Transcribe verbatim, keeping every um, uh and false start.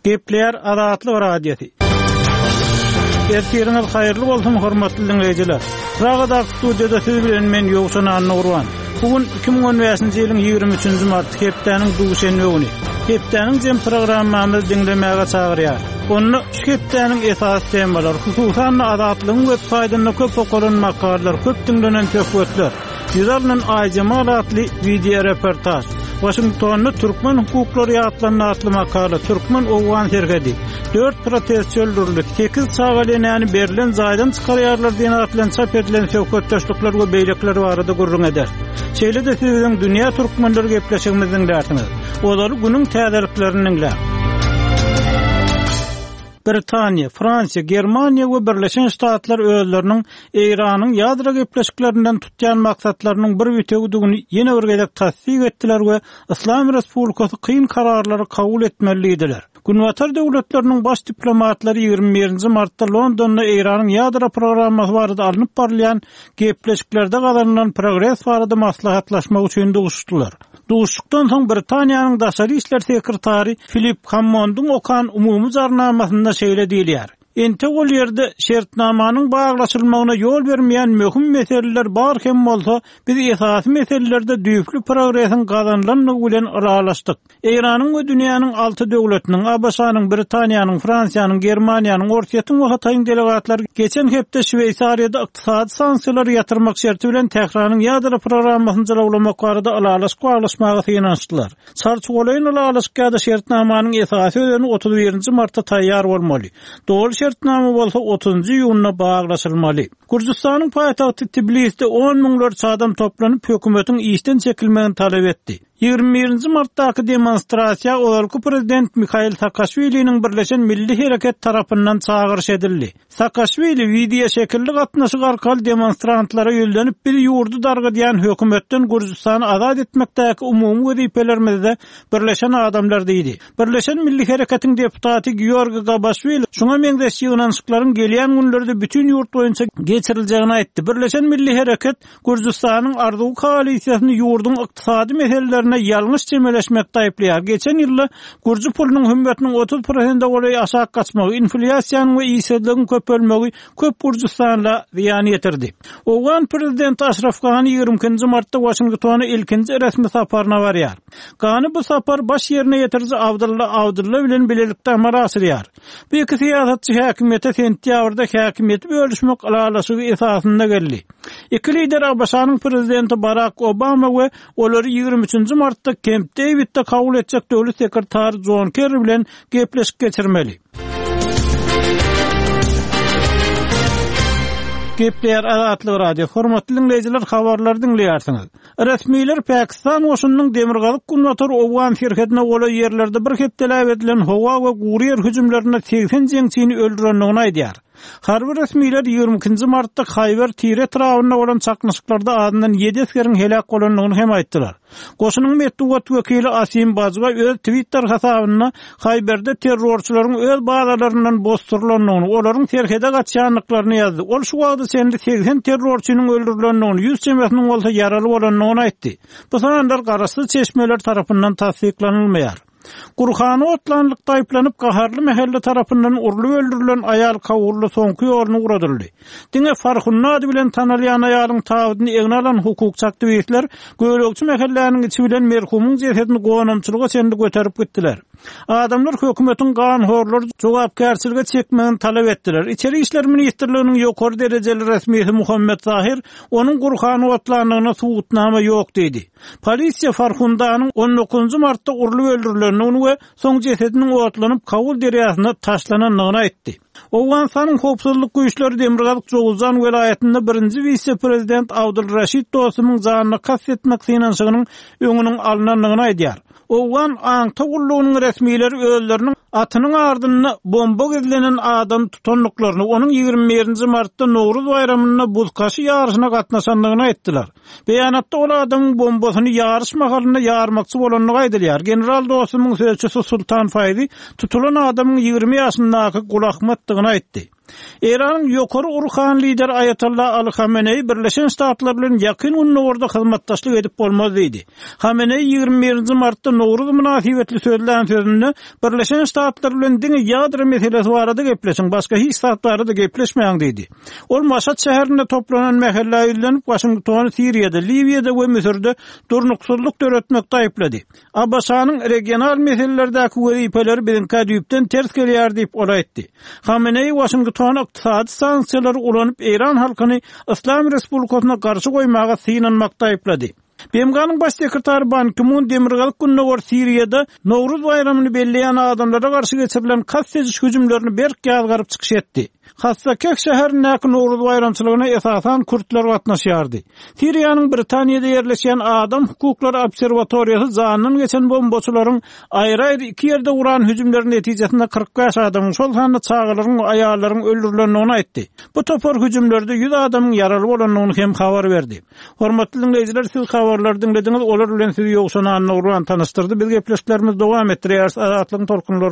Gepleýär Azatlyk Radiosy. Ertiriňiz haýyrly bolsun, hormatly diňleýjiler. Pragadaky studiýada siz bilen men Ýowşan Annagurban. Bu gün iki müň on bäşinji ýylyň ýigrimi üçünji mart, hepdäniň duşenbe güni. Hepdäniň jem programmamyzy diňlemäge çagyrýar. Onda şu hepdäniň esasy temalary, hususan-da Azatlygyň web saýtynda köp okalan makalalar, köp diňlenen söhbetler, ýüz alynan Aýjemal atly video reportaj, Washingtonda türkmen hukuklary ýatlandy atly makala, türkmen-owgan serhedi, dört protestçi öldürildi, sekiz çaga enäni berlen jaýdan çykarýarlar diýen at bilen çap edilen söhbetdeşlikler we beýlekiler barada gürrüň eder. Şeýle-de siz biziň Dünýä Türkmenleri gepleşigimizi diňlärsiňiz. Ozaly günüň täzeliklerini diňläň. Britaniýa, Fransiýa, Germaniýa we Birleşen Ştatlar özleriniň Eýranyň ýadro gepleşiklerinden tutýan maksatlarynyň bir bütewidigini ýene bir gezek tassyk etdiler we Islam Respublikasy kyn kararlary kabul etmeli diýdiler. Günbatar döwletleriniň baş diplomatlary ýigrimi birinji martda Londonda Eýranyň ýadro programmasy barada alnyp barylýan gepleşiklerde gazanylan progres barada maslahatlaşmak üçin duşuşdylar. Duşuşykdan soň Britaniýanyň daşary işler sekretary Filip Hammondyň okan umumy jarnamasynda şeýle diýilýär. Entek ol ýerde şertnamanyň baglaşylmagyna ýol bermeýän möhüm meseleler bar hem bolsa, biz esasy meselelerde düýpli progresiň gazanylandygy bilen ylalaşdyk. Eýranyň we dünýäniň alty döwletiniň, A B Ş-nyň, Britaniýanyň, Fransiýanyň, Germaniýanyň, Orsýetiň we Hytaýyň delegatlary geçen hepde Şweýsariýada ykdysady sanksiýalary ýatyrmak şerti bilen Tähranyň ýadro programmasyny jylawlamak barada ylalaşyk baglaşmaga synanyşdylar. Çarçuwalaýyn ylalaşyk ýa-da şertnamanyň esasy özeni otuz birinji martda taýýar bolmaly. Doly şertnama bolsa otuzunjy iýunda baglaşylmaly. Gürjüstanyň paýtagty Tbilisde on müňlerçe adam toplanyp hökümetiň işden çekilmegini talap etdi. Ýigrimi birinji martdaky demonstrasiýa ozalky prezident Mikhail Saakaşwiliniň Birleşen Milli Hereket tarapyndan çagyryş edildi. Saakaşwili video şekilli gatnaşyk arkaly demonstrantlara ýüzlenip bir ýurdy dargadýan hökümetden Gürjüstany azat etmekdäki umumy wezipelerimizde birleşen adamlar diýdi. Birleşen Milli Hereketiň deputaty Georgi Gabaşwili şuňa meňzeş ýygnanyşyklaryň gelýän günlerde bütün ýurt boýunça geçiriljegini aýtdy. Birleşen Milli Hereket Gürjüstanyň Arzuw koalisiýasyny ýurduň ykdysady meselelerine ýalňyş çemeleşmekde aýyplaýar. Geçen ýylda Gürjü pulunyň hümmetiniň otuz prosente golaý aşak gaçmagy, inflýasiýanyň we işsizligiň köpelmegi köp Gürjüstanda zyýan ýetirdi. Owgan prezidenti Aşraf Gani ýigrimi ikinji martda Washingtona ilkinji resmi saparyna barýar. Gani bu sapar baş ýerine ýetiriji Abdulla Abdulla bilen bilelikde amala aşyrýar. Bu iki syýasatçy häkimiýete sentýabrda häkimiýeti bölüşmek ylalaşygy esasynda geldi. Iki lider A B Ş-nyň prezidenti Barack Obama we olary ýigrimi üçünji martda Camp Davidde kabul etjek döwlet sekretary John Kerry bilen gepleşik geçirmeli. Gepleýär Azatlyk Radio. Hormatly dinleýjiler, habarlary diňleýärsiňiz. Resmiler Pakistan goşunynyň demirgazyk günbatar Owgan serhedine golaý ýerlerde bir hepdeläp edilen howa we gury ýer hüjümlerinde segsen jeňçini öldürendigini aýdýar. Harby resmiler ýigrimi ikinji martda Haýber Tire etrabynda bolan çaknyşyklarda azyndan ýedi esgeriň heläk bolandygyny hem aýtdylar. Goşunyň metbugat wekili Asim Bajwa öz Twitter hasabynda Haýberde terrorçylaryň öz bazalaryndan bosdurylandygyny, olaryň serhede gaçýandyklaryny ýazdy. Ol şu wagta çenli segsen terrorçynyň öldürilendigini, ýüz çemesiniň bolsa ýaraly bolandygyny aýtdy. Bu sanlar garaşsyz çeşmeler tarapyndan tassyklanylmaýar. Gurhany otlanlyk taýplanyp gaharly mähelle tarapyndan urlup öldürilen aýal kawully soňky ýoluny uradyldy. Diňe Farhunda ady bilen tanalýan aýalyň tabydyny egne alan hukukçy aktiwistler gölegçi mähelläniň içi bilen merhumyň jesedini gonamçylyga çenli göterip gitdiler. Adamlar hökümetiň ganhorlary jogapkärçilige çekmegini talap etdiler. İçeri İşler Ministrliginiň ýokary derejeli resmisi Muhammed Zahir onuň Gurhany otlanlygyna subutnama ýok diýdi. Polisiýa Farhundanyň on dokuzunjy martda urlup öldürilendigini we soň jesediniň otlanyp Kabul derýasyna taşlanandygyny aýtdy. Owganystanyň howpsuzlyk güýçleri Demirgazyk Jowuzjan welaýatynda birinji wise-prezident Abdul Raşid Dostumyň janyna kast etmek synanyşygynyň öňüniň alynandygyny aýdýar. Owgan aňta gullugynyň resmileri özleriniň atynyň ardynda bomba gizlenen adam tutandyklaryny, onuň ýigrimi birinji martda Nowruz baýramynda buzkaşy ýaryşyna gatnaşandygyny aýtdylar. Beýanatda ol adamyň bombasyny ýaryş mahalynda ýarmakçy bolandygy aýdylýar. General Dostumyň sözçüsi Sultan Faýzi tutulan adamyň ýigrimi ýaşyndaky Gulahmatdygyny aýtdy. Eýranyň ýokary ruhany lideri Aýatolla Aly Hameneýi Birleşen Ştatlar bilen Ýakyn Gündogarda hyzmatdaşlyk edip bolmaz diýdi. Hameneýi ýigrimi birinji martda Nowruz mynasybetli sözlän sözünde, Birleşen Ştatlar bilen diňe ýadro meselesi barada gepleşiň, başga hiç zat barada gepleşmäň diýdi. Ol Maşat şäherinde toplanan mähellä ýüzlenip, Waşingtony Siriýada, Liwiýada we Müsürde durnuksyzlyk döretmekde aýyplady. ABŞ-nyň regional meselelerdäki wezipeleri biziňkä düýpden ters gelýär diýip, ol aýtdy. Hameneýi Waşingtony ykdysady sanksiýalary ulanyp eýran halkyny Yslam Respublikasyna garşy goýmaga synanmakda aýyplady. BMG-niň Baş sekretary Ban Ki-mun demirgazyk-gündogar Siriýada Nowruz baýramyny belleýän adamlara garşy geçirilen kast ediş hüjümlerini berk ýazgaryp çykyş etdi. Hassakeh şäherindäki Nowruz baýramçylygyna esasan kürtler gatnaşýardy. Siriýanyň Britaniýada ýerleşýän Adam hukuklary obserwatoriýasy janyndan geçen bombaçylaryň aýry-aýry iki ýerde guran hüjümleri netijesinde kyrk bäş adamyň, şol sanda çagalaryň we aýallaryň öldürilendigini aýtdy. Bu topar hüjümlerde ýüz adamyň ýaraly bolandygyny hem habar berdi. Hormatly diňleýjiler, siz habarlary diňlediňiz, olar bilen sizi Ýowşan Annagurban tanyşdyrdy. Biz gepleşiklerimizi dowam etdirýäris Azatlygyň tolkunlarynda.